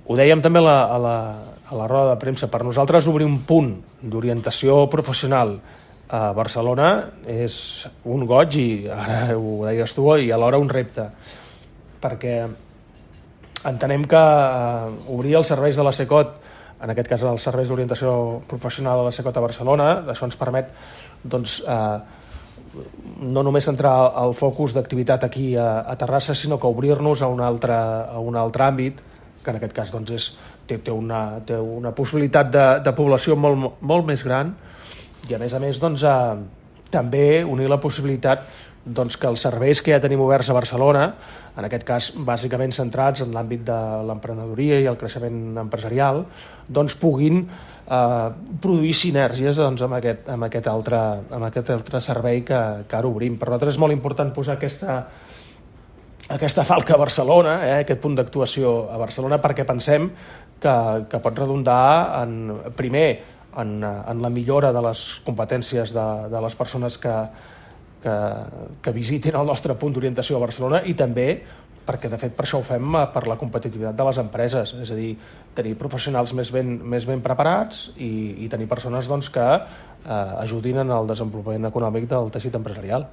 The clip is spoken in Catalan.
Ho dèiem també a la roda de premsa, per nosaltres obrir un punt d'orientació professional a Barcelona és un goig i ara ho deies tu i alhora un repte, perquè entenem que obrir els serveis de la SECOT, en aquest cas els serveis d'orientació professional de la SECOT a Barcelona, això ens permet doncs, no només centrar el focus d'activitat aquí a Terrassa, sinó que obrir-nos a un altre àmbit, que en aquest cas doncs, té una possibilitat de població molt més gran, i a més doncs, també unir la possibilitat doncs, que els serveis que ja tenim oberts a Barcelona, en aquest cas bàsicament centrats en l'àmbit de l'emprenedoria i el creixement empresarial, doncs puguin produir sinergies doncs, amb aquest altre servei que ara obrim. Per nosaltres és molt important posar aquesta falca a Barcelona, aquest punt d'actuació a Barcelona, perquè pensem que pot redundar primer en la millora de les competències de les persones que visitin el nostre punt d'orientació a Barcelona, i també perquè de fet per això ho fem, per la competitivitat de les empreses, és a dir, tenir professionals més ben preparats i tenir persones doncs, que ajudin en el desenvolupament econòmic del teixit empresarial.